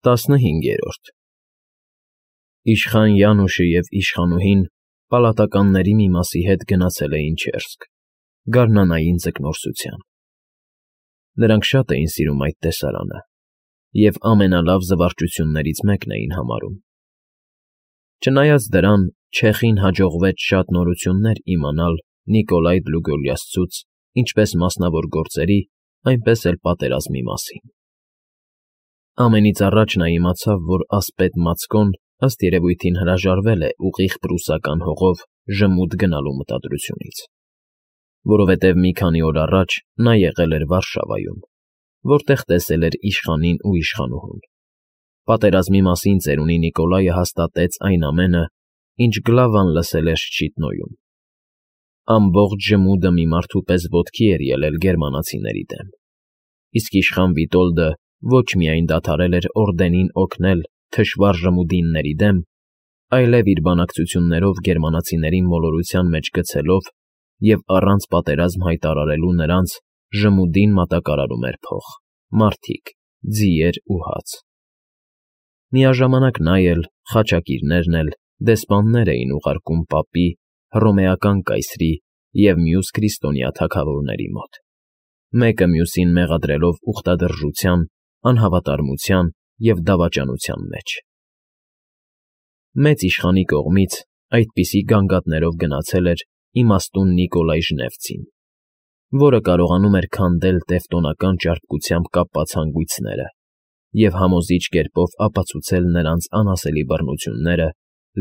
15 Իշխան Յանուշը և իշխանուհին պալատականների մի մասի հետ գնացել էին Չերսկ, գարնանային ձկնորսության. նրանք շատ էին սիրում այդ տեսարանը և ամենալավ զվարճություններից մեկն էին համարում. չնայած դրան, Չեխին հաջողվեց շատ նորություններ իմանալ Նիկոլայ Դլուգոլյասցուց ինչպես մասնավոր գործերի, այնպես էլ պատերազմի մասին. ամենից առաջ նա իմացավ, որ ասպետ Մացկոն ըստ երևույթին հրաժարվել է ուղիղ պրուսական հողով ժմուտ գնալու մտադրությունից, որովհետև մի քանի օր առաջ նա եղել էր Վարշավայում, որտեղ տեսել էր իշխանին ու իշխանուհուն. պատերազմի մասին ծերունի Նիկոլայը հաստատեց այն ամենը, ինչ Գլավան լսել էր Շչիտնոյում. ամբողջ ժմուդը մի մարդու պես ոտքի էր ելել գերմանացիների դեմ, իսկ իշխան Վիտոլդը ոչ միայն դադարել էր օրդենին օգնել թշվառ ժմուդինների դեմ, այլև իր բանակցություններով գերմանացիներին մոլորության մեջ գցելով և առանց պատերազմ հայտարարելու նրանց ժմուդին մատակարարում էր փող, մարդիկ, ձիեր ու հաց. միաժամանակ նա էլ, խաչակիրներն էլ դեսպաններ էին ուղարկում պապի, հռոմեական կայսրի և մյուս քրիստոնյա թագավորների մոտ, մեկը մյուսին մեղադրելով ուխտադրժության, անհավատարմության և դավաճանության մեջ. մեծ իշխանի կողմից այդպիսի գանգատներով գնացել էր իմաստուն Նիկոլայ Ժնևցին, որը կարողանում էր քանդել տևտոնական ճարպկությամբ կապված հանգույցները և համոզիչ կերպով ապացուցել նրանց անասելի բռնությունները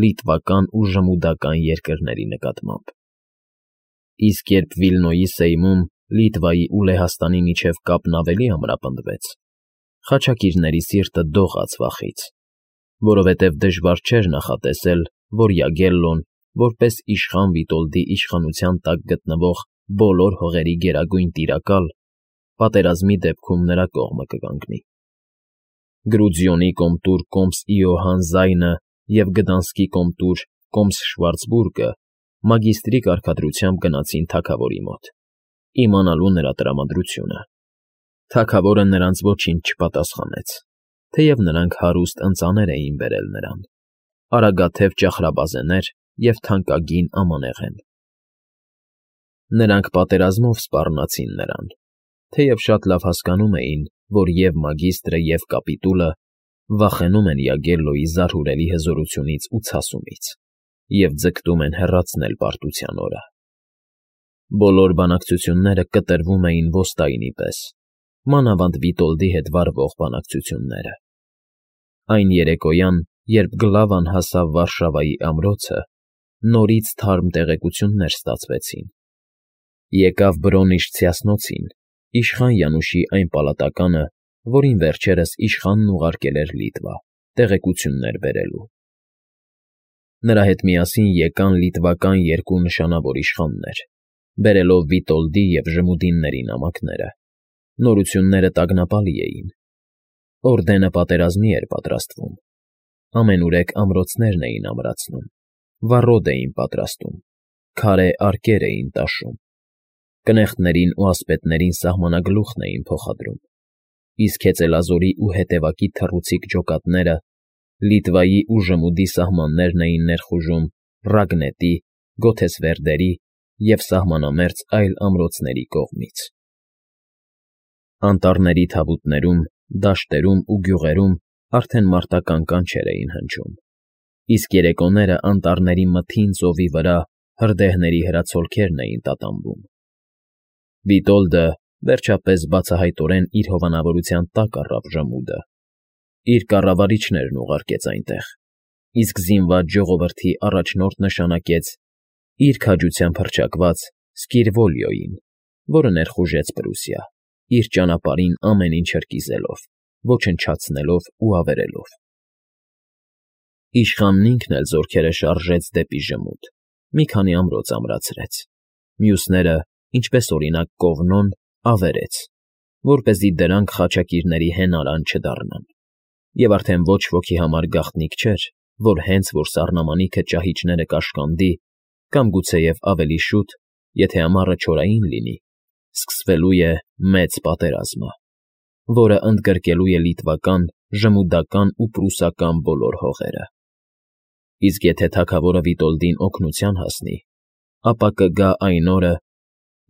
լիտվական ու ժմուդական երկրների նկատմամբ. իսկ երբ Վիլնոյի սեյմում Լիտվայի ու Լեհաստանի միջև կապն ավելի ամրապնդվեց, խաչակիրների սիրտը դողաց վախից, որովհետև դժվար չէր նախատեսել, որ Յագելլոն, որպես իշխան Վիտոլդի իշխանության տակ գտնվող բոլոր հողերի գերագույն տիրակալ, պատերազմի դեպքում նրա կողմը կկանգնի. Գրուձիոնի կոմտուր Կոմս Իոհան Զայնը և Գդանսկի կոմտուր Կոմս Շվարցբուրգը մագիստրի կարգադրությամբ գնացին թագավորի մոտ, իմանալու նրա տրամադրությունը. թագավորը նրանց ոչինչ չպատասխանեց, թեև նրանք հարուստ ընծաներ էին բերել նրան, արագաթև ճախրաբազեներ և թանկագին ամանեղեն. նրանք պատերազմով սպառնացին նրան, թեև շատ լավ հասկանում էին, որ և մագիստրը, և կապիտուլը վախենում են Յագելլոյի զարհուրելի հզորությունից ու ցասումից և ձգտում են հեռացնել պարտության օրը. բոլոր բանակցությունները կտրվում էին ոստայնի պես, մանավանդ Վիտոլդի հետ վարվող բանակցությունները. այն երեկոյան, երբ Գլավան հասավ Վարշավայի ամրոցը, նորից թարմ տեղեկություններ ստացվեցին. եկավ Բրոնի շցիասնոցին, իշխան Յանուշի այն պալատականը, որին վերջերս իշխանն ուղարկել էր Լիտվա, տեղեկություններ բերելու. նրա հետ միասին եկան լիտվական երկու նշանավոր իշխաններ, բերելով Վիտոլդի և ժմուդինների նամակները. նորությունները տագնապալի էին. օրդենը պատերազմի էր պատրաստվում, ամենուրեք ամրոցներն էին ամրացնում, վառոդ էին պատրաստում, քարե արկեր էին տաշում, կնեղտներին ու ասպետներին սահմանագլուխն էին փոխադրում, իսկ հեծելազորի ու հետևակի թռուցիկ ջոկատները Լիտվայի ու ժմուդի սահմաններն էին ներխուժում Ռագնետի, Գոթեսվերդերի և սահմանամերձ այլ ամրոցների կողմից. անտառների թավուտներում, դաշտերում ու գյուղերում արդեն մարտական կանչեր էին հնչում, իսկ երեկոները անտառների մթին ծովի վրա հրդեհների հրացոլքերն էին տատանվում. Վիտոլդը, վերջապես բացահայտորեն իր հովանավորության տակ առավ ժմուդը, իր կառավարիչներն ուղարկեց այնտեղ, իսկ զինված ժողովրդի առաջնորդ նշանակեց իր քաջությամբ հռչակված Սկիրվոլիոյին, որը ներխուժեց Պրուսիա, իր ճանապարհին ամեն ինչ հրկիզելով, ոչնչացնելով ու ավերելով. իշխանն ինքն էլ զորքերը շարժեց դեպի ժմուդ, մի քանի ամրոց ամրացրեց, մյուսները, ինչպես օրինակ Կովնոն, ավերեց, որպեսզի դրանք խաչակիրների հենարան չդառնան, և արդեն ոչ ոքի համար գաղտնիք չէր, որ հենց որ սառնամանիքը ճահիճները կաշկանդի, կամ գուցեև ավելի շուտ, եթե ամառը չորային լինի, սկսվելու է մեծ պատերազմը, որը ընդգրկելու է լիտվական ժմուդական ու պրուսական բոլոր հողերը։ Իսկ եթե թագավորը Վիտոլդին օգնության հասնի, ապա կգա այն օրը,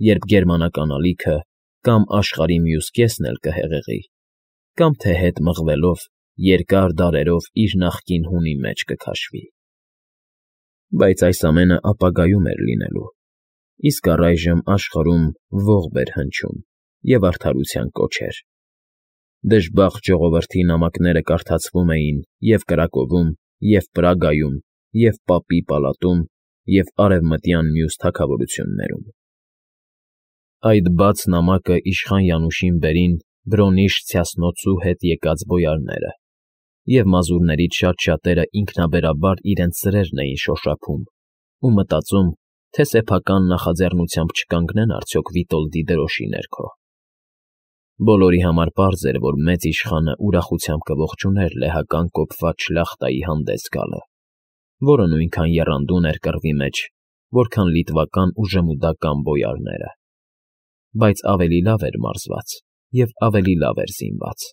երբ գերմանական ալիքը կամ աշխարհի մյուս կեսն էլ կհեղեղի, կամ թե հետ մղվելով երկար դարերով իր նախկին հունի մեջ կքաշվի։ Բայց այս ամենը ապագայում էր լինելու, իսկ առայժմ աշխարհում ողբ էր հնչում և արդարության կոչեր։ Դժբախտ ժողովրդի նամակները կարդացվում էին և Կրակովում, և Պրագայում, և Պապի պալատում, և արևմտյան մյուս թագավորություններում։ Այդ բաց նամակը իշխան Յանուշին բերին Բրոնիշ Ցյասնոցու հետ եկած բոյարները, և մազուրներից շատ-շատերը ինքնաբերաբար իրենց սրերն էին շոշափում ու մտածում, թե սեփական նախաձեռնությամբ չկանգնեն արդյոք Վիտոլդի դրոշի ներքո։ Բոլորի համար պարզ էր, որ մեծ իշխանը ուրախությամբ կողջուներ լեհական կոփված շլախտայի հանդես գալը, որը նույնքան եռանդուն էր կռվի մեջ, որքան լիտվական ու ժմուդական բոյարները, բայց ավելի լավ էր մարզված և ավելի լավ էր զինված։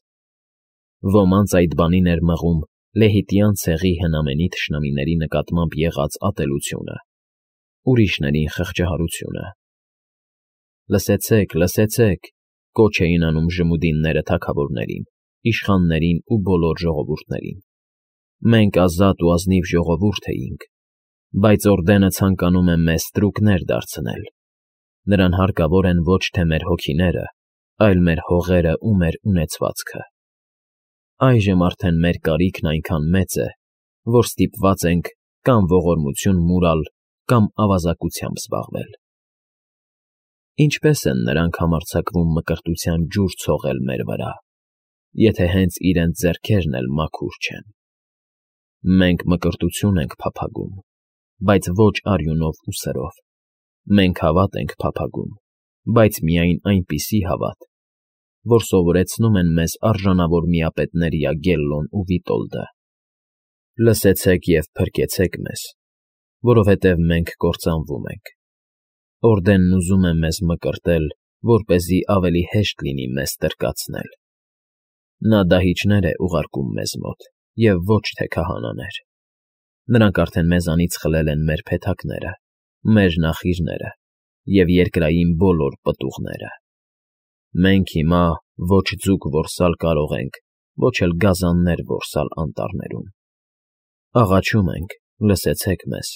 Ոմանց այդ բանին էր մղում լեհիտյան ցեղի հնամենի թշնամիների նկատմամբ եղած ատելությունը, ուրիշներին խղճահարությունը։ Լսեցեք, լսեցեք, կոչ էին անում ժմուդինները թագավորներին, իշխաններին ու բոլոր ժողովուրդներին։ Մենք ազատ ու ազնիվ ժողովուրդ էինք, բայց օրդենը ցանկանում է մեզ ստրուկներ դարձնել։ Նրան հարկավոր են ոչ թե մեր հոգիները, այլ մեր հողերը ու մեր ունեցվածքը։ Այժմ արդեն մեր կարիքն այնքան մեծ է, որ ստիպված ենք կամ ողորմություն մուրալ, կամ ավազակությամբ զբաղվել։ Ինչպե՞ս են նրանք համարձակվում մկրտության ջուր ցողել մեր վրա, եթե հենց իրենց ձեռքերն էլ մաքուր չեն։ Մենք մկրտություն ենք փափագում, բայց ոչ արյունով ու սրով։ Մենք հավատ ենք փափագում, բայց միայն այնպիսի հավատ, որ սովորեցնում են մեզ արժանավոր միապետներ Յագելլոն ու Վիտոլդը։ Լսեցեք և փրկեցեք մեզ, որովհետև մենք կործանվում ենք։ Օրդենն ուզում է մեզ մկրտել, որպեսզի ավելի հեշտ լինի մեզ տրկացնել։ Նա դահիճներ է ուղարկում մեզ մոտ, և ոչ թե քահանաներ։ Նրանք արդեն մեզանից խլել են մեր փեթակները, մեր նախիրները և երկրային բոլոր պտուղները։ Մենք հիմա ոչ ձուկ որսալ կարող ենք, ոչ էլ գազաններ որսալ անտառներում։ Աղաչում ենք, լսեցեք մեզ։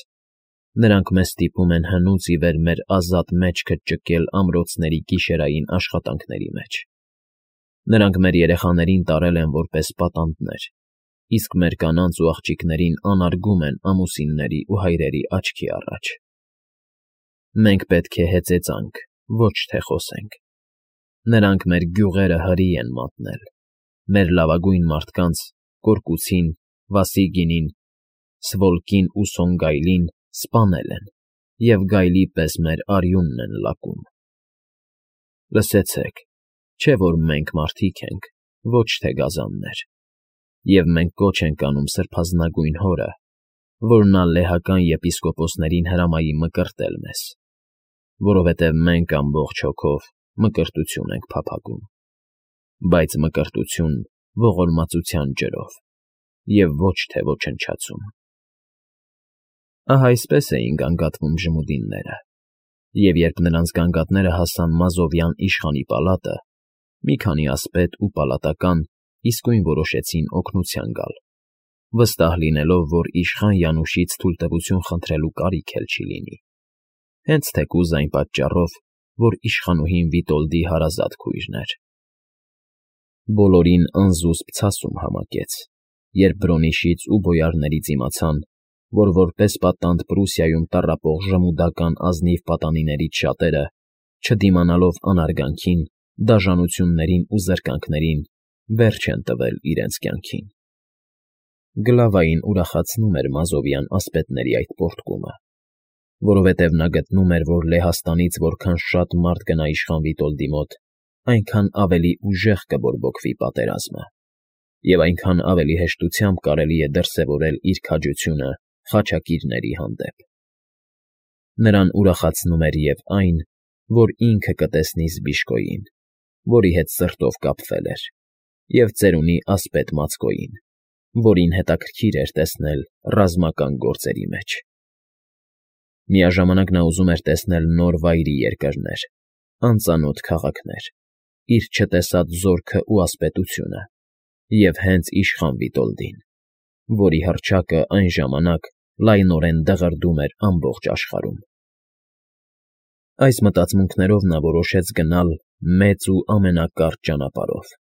Նրանք մեզ ստիպում են հնուց ի վեր մեր ազատ մեջքը ճկել ամրոցների գիշերային աշխատանքների մեջ։ Նրանք մեր երեխաներին տարել են որպես պատանդներ, իսկ մեր կանանց ու աղջիկներին անարգում են ամուսինների ու հայրերի աչքի առաջ։ Մենք պետք է հեծեծանք, ոչ թե խոսենք։ Նրանք մեր գյուղերը հրի են մատնել, մեր լավագույն մարդկանց՝ Կորկուցին, Վասիգինին, Սվոլկին ու Սոնգայլին սպանել են և գայլի պես մեր արյունն են լակում։ Լսեցեք, չէ՞ որ մենք մարդիկ ենք, ոչ թե գազաններ, և մենք կոչ ենք անում սրբազնագույն Հորը, որ նա լեհական եպիսկոպոսներին հրամայի մկրտել մեզ, որովհետև մենք ամբողջ հոգով մկրտություն ենք փափագում, բայց մկրտություն ողորմածության ջրով և ոչ թե ոչնչացում։ Ահա այսպես էին գանգատվում ժմուդինները, և երբ նրանց գանգատները հասան Մազովյան իշխանի պալատը, մի քանի ասպետ ու պալատական իսկույն որոշեցին օգնության գալ, վստահ լինելով, որ իշխան Յանուշից թույլտվություն խնդրելու կարիք էլ չի լինի, հենց թեկուզ այն պատճառով, որ իշխանուհին Վիտոլդի հարազատ քույրն էր։ Բոլորին անզուսպ ցասում համակեց, երբ Բրոնիշից ու բոյարներից իմացան, որ որպես պատանդ Պրուսիայում տառապող ժմուդական ազնիվ պատանիներից շատերը, չդիմանալով անարգանքին, դաժանություններին ու զրկանքներին, վերջ են տվել իրենց կյանքին։ Գլավային ուրախացնում էր Մազովյան ասպետների այդ պոռթկումը, որովհետև նա գտնում էր, որ Լեհաստանից որքան շատ մարդ գնա իշխան Վիտոլդի մոտ, այնքան ավելի ուժեղ կբորբոքվի պատերազմը, և այնքան ավելի հեշտությամբ կարելի է դրսևորել իր քաջությունը խաչակիրների հանդեպ։ Նրան ուրախացնում էր և այն, որ ինքը կտեսնի Զբիշկոյին, որի հետ սրտով կապվել էր, և ծերունի ասպետ Մացկոյին, որին հետաքրքիր էր տեսնել ռազմական գործերի մեջ։ Միաժամանակ նա ուզում էր տեսնել նոր վայրի երկրներ, անծանոթ քաղաքներ, իր չտեսած զորքն ու ասպետությունը և հենց իշխան Վիտոլդին, որի հռչակը այն ժամանակ լայնորեն դղրդում էր ամբողջ աշխարհում։ Այս մտածմունքներով նա որոշեց գնալ մեծ ու ամենակարճ ճանապարհով,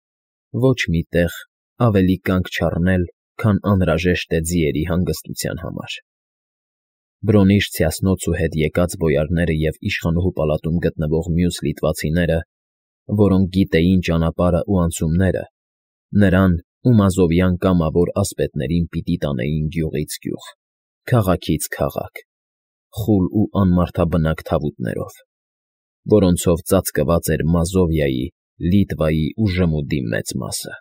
ոչ մի տեղ ավելի կանգ չառնել, քան անհրաժեշտ է ձիերի հանգստության համար։ Բրոնիշ Ցյասնոցու հետ եկած բոյարները և իշխանուհու պալատում գտնվող մյուս լիտվացիները, որոնք գիտեին ճանապարհն ու անցումները, նրան ու մազովյան կամավոր ասպետներին պիտի տանեին գյուղից գյուղ, քաղաքից քաղաք, խուլ ու անմարդաբնակ թավուտներով, որոնցով ծածկված էր Մազովիայի, Լիտվայի ու Ժմուդի մեծ մասը։